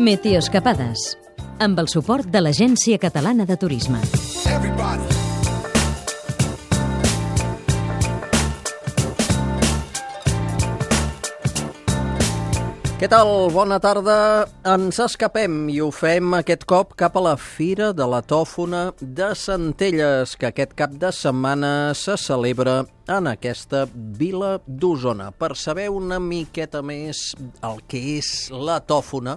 Meteoscapades, amb el suport de l'Agència Catalana de Turisme. Què tal? Bona tarda. Ens escapem i ho fem aquest cop cap a la Fira de la Tòfona de Centelles, que aquest cap de setmana se celebra en aquesta vila d'Osona. Per saber una miqueta més el que és la tòfona,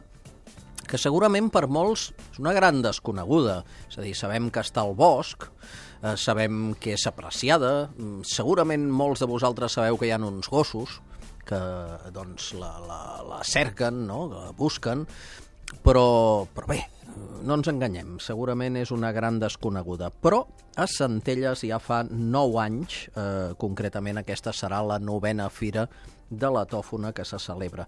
que segurament per molts és una gran desconeguda. És a dir, sabem que està al bosc, sabem que és apreciada, segurament molts de vosaltres sabeu que hi ha uns gossos que doncs la cerquen, no? La busquen, però bé, no ens enganyem, segurament és una gran desconeguda. Però a Centelles ja fa 9 anys, concretament aquesta serà la 9a Fira de la Tòfona que se celebra.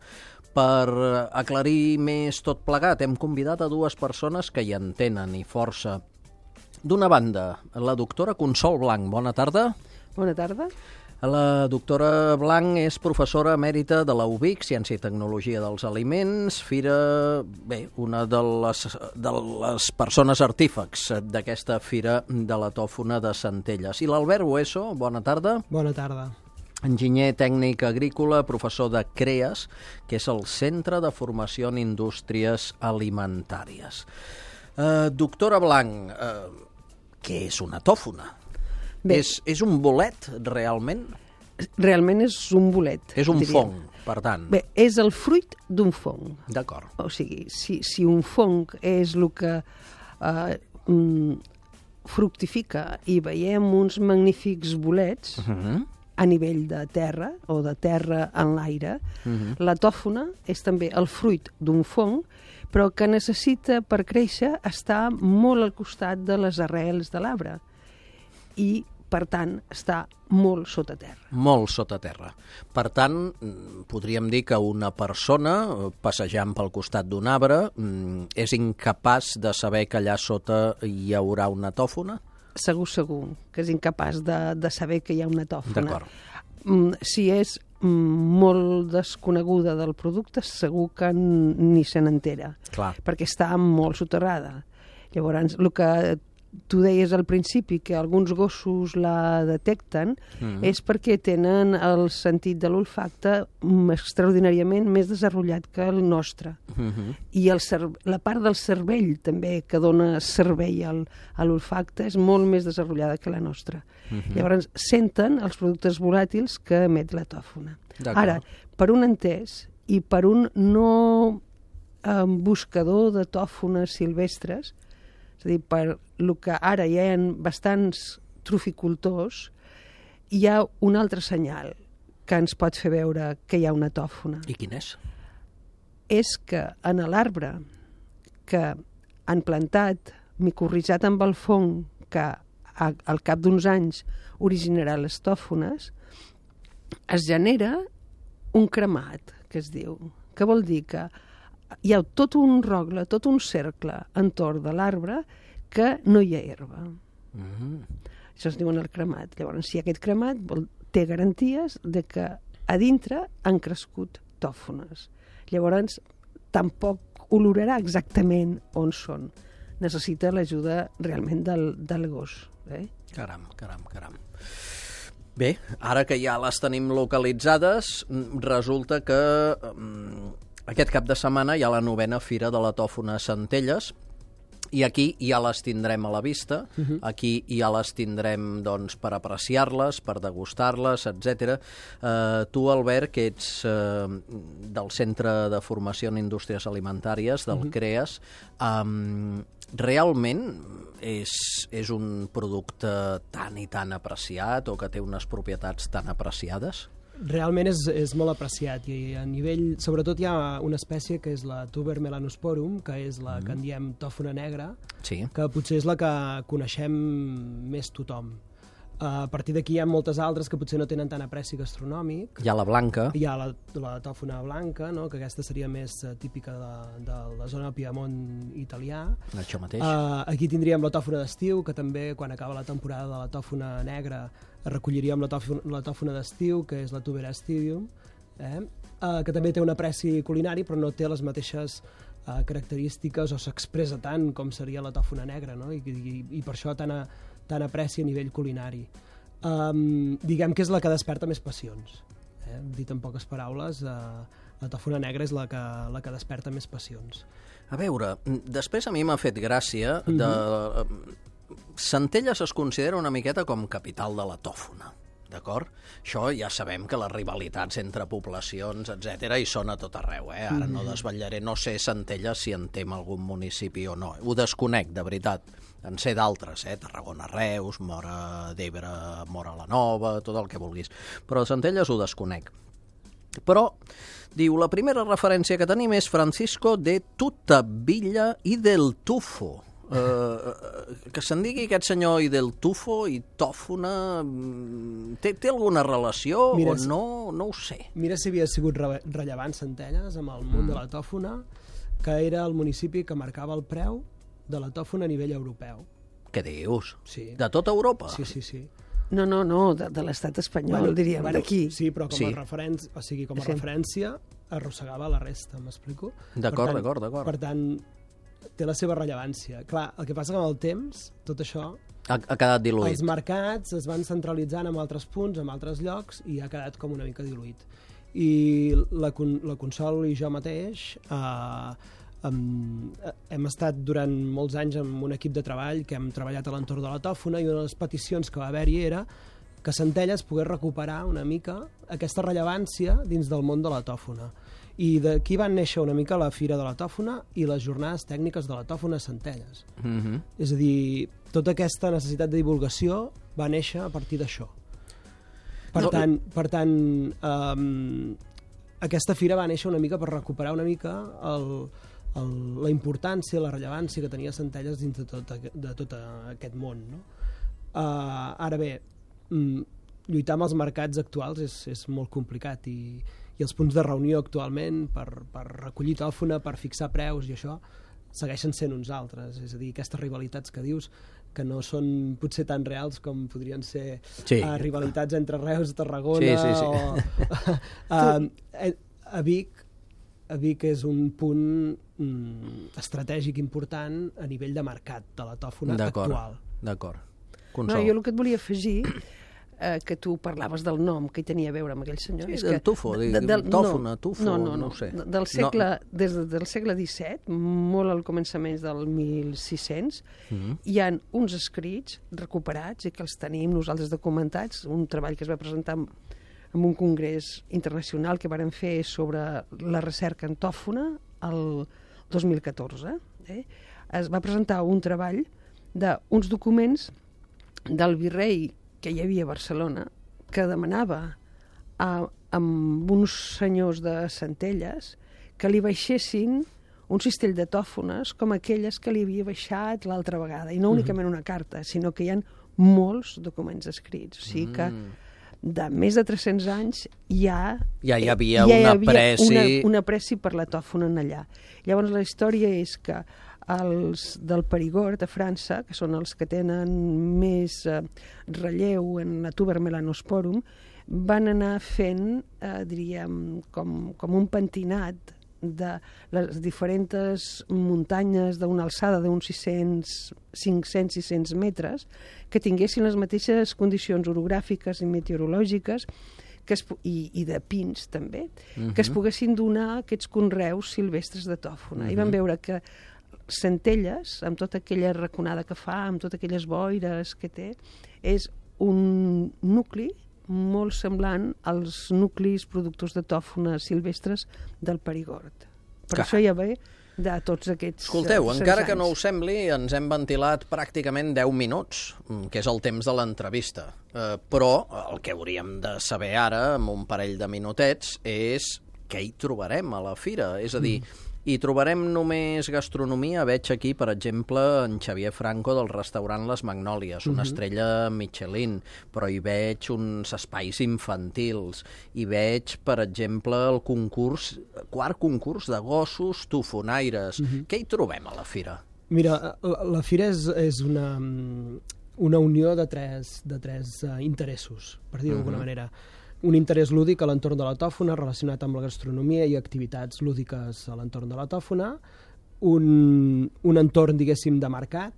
Per aclarir més tot plegat, hem convidat a 2 persones que hi entenen i força. D'una banda, la doctora Consol Blanc. Bona tarda. Bona tarda. La doctora Blanc és professora emèrita de la UBIC, Ciència i Tecnologia dels Aliments, fira, bé, una de les persones artífecs d'aquesta Fira de la Tòfona de Centelles. I l'Albert Hueso, bona tarda. Bona tarda. Enginyer tècnic agrícola, professor de CREAS, que és el Centre de Formació en Indústries Alimentàries. Doctora Blanc, què és una tòfona? Bé, És un bolet, realment? realment és un bolet. És un diríem. fong, per tant. Bé, és el fruit d'un fong. D'acord. O sigui, si un fong és el que fructifica i veiem uns magnífics bolets a nivell de terra o de terra en l'aire, la tòfona és també el fruit d'un fong, però que necessita per créixer estar molt al costat de les arrels de l'arbre i, per tant, està molt sota terra. Molt sota terra. Per tant, podríem dir que una persona, passejant pel costat d'un arbre, és incapaç de saber que allà sota hi haurà una tòfona? Segur que és incapaç de saber que hi ha una tòfona. D'acord. Si és molt desconeguda del producte, segur que ni se n'entera, perquè està molt soterrada. Llavors, el que tu deies al principi, que alguns gossos la detecten, és perquè tenen el sentit de l'olfacte extraordinàriament més desenvolupat que el nostre. I la part del cervell també, que dona servei a l'olfacte, és molt més desenvolupada que la nostra. Llavors senten els productes volàtils que emet la tòfona. Ara, per un entès i per un no buscador de tòfones silvestres, és a dir, per el que ara hi ha bastants troficultors, hi ha un altre senyal que ens pot fer veure que hi ha una tòfona. I quin és? És que en l'arbre que han plantat, micorritzat amb el fong, que al cap d'uns anys originarà les tòfones, es genera un cremat, que es diu, que vol dir que hi ha tot un rogle, tot un cercle entorn de l'arbre que no hi ha herba. Això es diu el cremat. Llavors, si aquest cremat té garanties de que a dintre han crescut tòfones. Llavors, tampoc olorarà exactament on són. Necessita l'ajuda realment del gos. Caram. Bé, ara que ja les tenim localitzades, resulta que aquest cap de setmana hi ha la 9a Fira de la Tòfona a Centelles, i aquí ja les tindrem a la vista, aquí ja les tindrem doncs, per apreciar-les, per degustar-les, etc. Tu, Albert, que ets del Centre de Formació en Indústries Alimentàries, del CREAS, realment és un producte tan i tan apreciat o que té unes propietats tan apreciades? Realment és molt apreciat i a nivell, sobretot hi ha una espècie que és la Tuber melanosporum, que és la que en diem tòfona negra, que potser és la que coneixem més tothom. A partir d'aquí hi ha moltes altres que potser no tenen tant apreci gastronòmic. Hi ha la blanca. Hi ha la tòfona blanca, no? Que aquesta seria més típica de la zona del Piemont italià. Això mateix. Aquí tindríem la tòfona d'estiu, que també quan acaba la temporada de la tòfona negra recolliríem la tòfona d'estiu, que és la Tuber aestidium, que també té un apreci culinari però no té les mateixes característiques o s'expressa tant com seria la tòfona negra, no? I per això tant aprecia a nivell culinari. Diguem que és la que desperta més passions. Dit en poques paraules, la tòfona negra és la que desperta més passions. A veure, després a mi m'ha fet gràcia Centelles es considera una miqueta com capital de la tòfona, d'acord? Això ja sabem que les rivalitats entre poblacions, etc., hi són a tot arreu, Ara no desvetllaré, no sé Centelles si en tem algun municipi o no. Ho desconec, de veritat. En sé d'altres, Tarragona, Reus, Móra d'Ebre, Móra la Nova, tot el que vulguis. Però Centelles ho desconec. Però, diu, la primera referència que tenim és Francisco de Tutavilla i del Tufo. Que se'n digui aquest senyor i del Tufo i tòfona té alguna relació o no? No ho sé. Mira si havia sigut rellevant Centelles amb el món de la tòfona, que era el municipi que marcava el preu de la tòfona a nivell europeu. Què dius? Sí. De tota Europa? Sí. No, de l'estat espanyol, diríem, d'aquí. Sí, però com a referència arrossegava la resta, m'explico? D'acord. Per tant, té la seva rellevància. Clar, el que passa que amb el temps, tot això ha quedat diluït. Els mercats es van centralitzant en altres punts, en altres llocs, i ha quedat com una mica diluït. I la Consol i jo mateix hem estat durant molts anys amb un equip de treball que hem treballat a l'entorn de la tòfona, i una de les peticions que va haver-hi era que Centelles pogués recuperar una mica aquesta rellevància dins del món de la tòfona. I d'aquí van néixer una mica la Fira de la Tòfona i les jornades tècniques de la tòfona a Centelles. És a dir, tota aquesta necessitat de divulgació va néixer a partir d'això. Per tant, aquesta fira va néixer una mica per recuperar una mica la importància, la rellevància que tenia Centelles dins de tot aquest món, no? Ara bé, lluitar amb els mercats actuals és molt complicat, i els punts de reunió actualment per recollir tòfona, per fixar preus i això, segueixen sent uns altres. És a dir, aquestes rivalitats que dius, que no són potser tan reals com podrien ser rivalitats entre Reus, Tarragona... A Vic és un punt estratègic important a nivell de mercat de la tòfona actual. D'acord. No, jo el que et volia afegir, que tu parlaves del nom que hi tenia a veure amb aquell senyor. Sí, del Tufo, tòfona, Tufo, no ho sé. Des del segle XVII, molt al començament del 1600, hi ha uns escrits recuperats i que els tenim nosaltres documentats, un treball que es va presentar en un congrés internacional que varen fer sobre la recerca en tòfona el 2014. Es va presentar un treball d'uns documents del virrei que hi havia a Barcelona, que demanava amb uns senyors de Centelles que li baixessin un cistell de tòfones com aquelles que li havia baixat l'altra vegada, i no únicament una carta, sinó que hi ha molts documents escrits. O sigui que de més de 300 anys ja hi havia una pressi per la tòfona allà. Llavors la història és que els del Perigord, a França, que són els que tenen més relleu en la Tuber melanosporum, van anar fent, diríem, com un pentinat de les diferents muntanyes d'una alçada d'uns 500-600 metres que tinguessin les mateixes condicions orogràfiques i meteorològiques i de pins també, que es poguessin donar aquests conreus silvestres de tòfona. I van veure que Centelles, amb tota aquella raconada que fa, amb totes aquelles boires que té, és un nucli molt semblant als nuclis productors de tòfona silvestres del Perigord. Per això ja ve de tots aquests... Escolteu, encara que no us sembli, ens hem ventilat pràcticament 10 minuts, que és el temps de l'entrevista. Però el que hauríem de saber ara, amb un parell de minutets, és què hi trobarem a la fira. És a dir, hi trobarem només gastronomia. Veig aquí, per exemple, en Xavier Franco del restaurant Les Magnòlies, una estrella Michelin, però hi veig uns espais infantils. Hi veig, per exemple, el quart concurs de gossos tofonaires. Què hi trobem a la fira? Mira, la fira és una unió de tres interessos, per dir-ho d'alguna manera. Un interès lúdic a l'entorn de la tòfona relacionat amb la gastronomia i activitats lúdiques a l'entorn de la tòfona, un entorn, diguéssim, de mercat,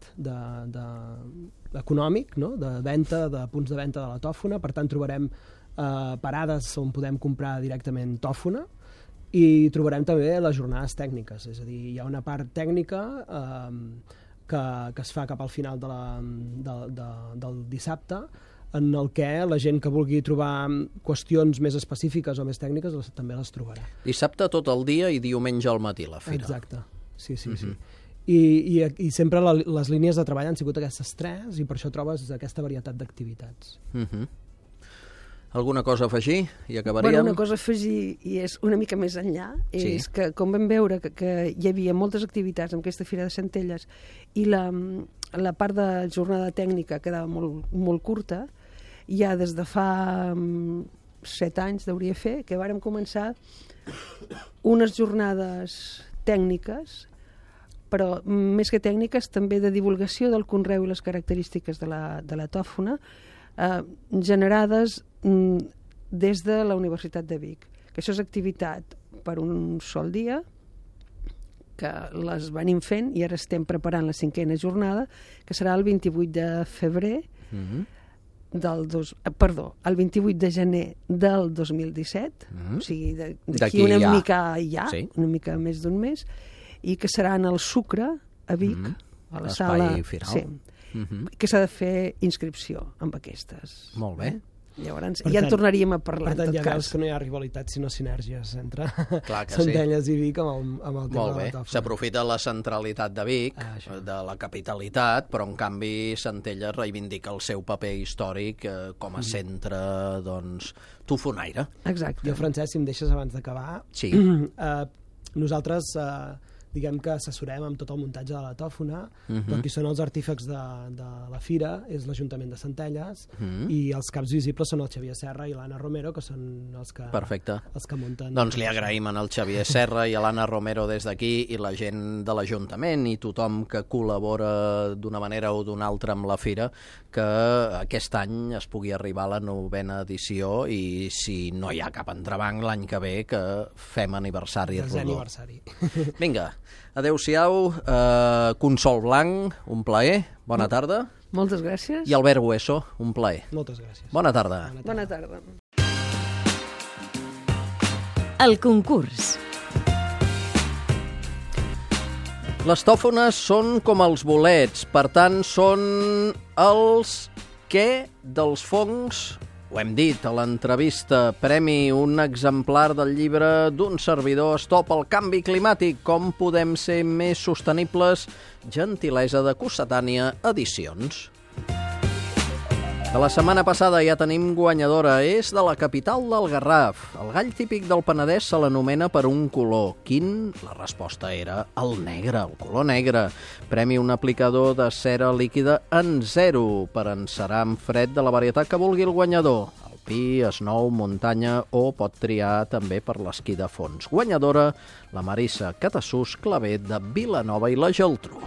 econòmic, no? De venda, de punts de venda de la tòfona. Per tant, trobarem parades on podem comprar directament tòfona, i trobarem també les jornades tècniques, és a dir, hi ha una part tècnica que es fa cap al final del dissabte, en el que la gent que vulgui trobar qüestions més específiques o més tècniques també les trobarà. Dissabte tot el dia i diumenge al matí la fira. Exacte, sí. I sempre les línies de treball han sigut aquestes tres, i per això trobes aquesta varietat d'activitats. Alguna cosa a afegir i acabaríem? Bueno, una cosa a afegir, i és una mica més enllà, és que com vam veure que hi havia moltes activitats en aquesta Fira de Centelles i la part de jornada tècnica quedava molt curta, ja des de fa 7 anys deuria fer, que vàrem començar unes jornades tècniques, però més que tècniques també de divulgació del conreu i les característiques de la tòfona, generades des de la Universitat de Vic. Que això és activitat per un sol dia, que les venim fent i ara estem preparant la 5a jornada, que serà el 28 de febrer el 28 de gener del 2017, o sigui, d'aquí una mica més d'un mes, i que serà en el Sucre, a Vic, a la sala... Firal. Sí. Que s'ha de fer inscripció amb aquestes. Molt bé. Llavors, ja en tornaríem a parlar, en tot cas. Ja veus que no hi ha rivalitat, sinó sinergies entre Centelles i Vic amb el tema de la tòfona. S'aprofita la centralitat de Vic, de la capitalitat, però en canvi Centelles reivindica el seu paper històric com a centre, doncs, tofonaire. Exacte. Jo, Francesc, si em deixes abans d'acabar, nosaltres... diguem que assessorem amb tot el muntatge de la tòfona, però qui són els artífecs de la fira és l'Ajuntament de Centelles, i els caps visibles són el Xavier Serra i l'Anna Romero, que són els que munten. Doncs li agraïm al Xavier Serra i a l'Anna Romero des d'aquí, i la gent de l'Ajuntament i tothom que col·labora d'una manera o d'una altra amb la fira, que aquest any es pugui arribar a la 9a edició, i si no hi ha cap entrebanc l'any que ve, que fem aniversari rodó. Vinga, adeu-siau, Consol Blanc, un plaer, bona tarda. Moltes gràcies. I Albert Bueso, un plaer. Moltes gràcies. Bona tarda. Bona tarda. El concurs. Les tòfones són com els bolets, per tant, són els què dels fongs. Ho hem dit a l'entrevista, premi un exemplar del llibre d'un servidor, Stop al canvi climàtic, com podem ser més sostenibles, gentilesa de Cossetània Edicions. De la setmana passada ja tenim guanyadora, és de la capital del Garraf. El gall típic del Penedès se l'anomena per un color. Quin? La resposta era el negre, el color negre. Premi un aplicador de cera líquida en 0 per encerar amb fred de la varietat que vulgui el guanyador. Alpí, Snow, muntanya, o pot triar també per l'esquí de fons. Guanyadora, la Marissa Catassús Clavet de Vilanova i la Geltrú.